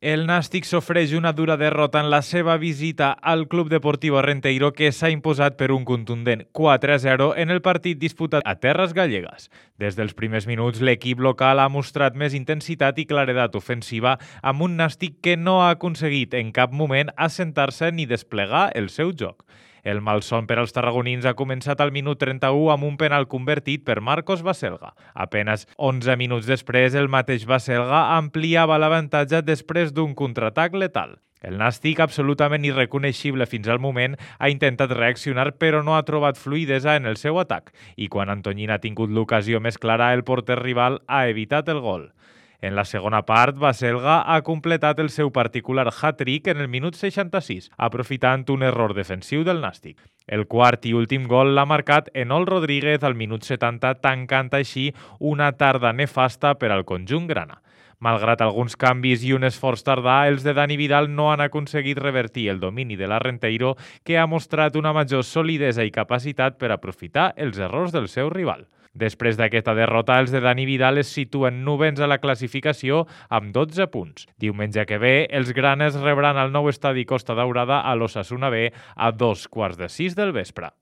El Nàstic sofreix una dura derrota en la seva visita al Club Deportivo Renteiro, que s'ha imposat per un contundent 4-0 en el partit disputat a terres gallegues. Des dels primers minuts, l'equip local ha mostrat més intensitat i claredat ofensiva, amb un Nàstic que no ha aconseguit en cap moment assentar-se ni desplegar el seu joc. El malson per als tarragonins ha començat al minut 31 amb un penal convertit per Marcos Baselga. Apenas 11 minuts després, el mateix Baselga ampliava l'avantatge després d'un contraatac letal. El Nàstic, absolutament irreconeixible fins al moment, ha intentat reaccionar però no ha trobat fluïdesa en el seu atac i quan Antoñín ha tingut l'ocasió més clara, el porter rival ha evitat el gol. En la segona part, Baselga ha completat el seu particular hat-trick en el minut 66, aprofitant un error defensiu del Nàstic. El quart i últim gol l'ha marcat Enol Rodríguez al minut 70, tancant així una tarda nefasta per al conjunt grana. Malgrat alguns canvis i un esforç tardà, els de Dani Vidal no han aconseguit revertir el domini de la Renteiro, que ha mostrat una major solidesa i capacitat per aprofitar els errors del seu rival. Després d'aquesta derrota, els de Dani Vidal es situen novens a la classificació amb 12 punts. Diumenge que ve, els granes rebran al nou estadi Costa Daurada a l'Osasuna B a 5:45 del vespre.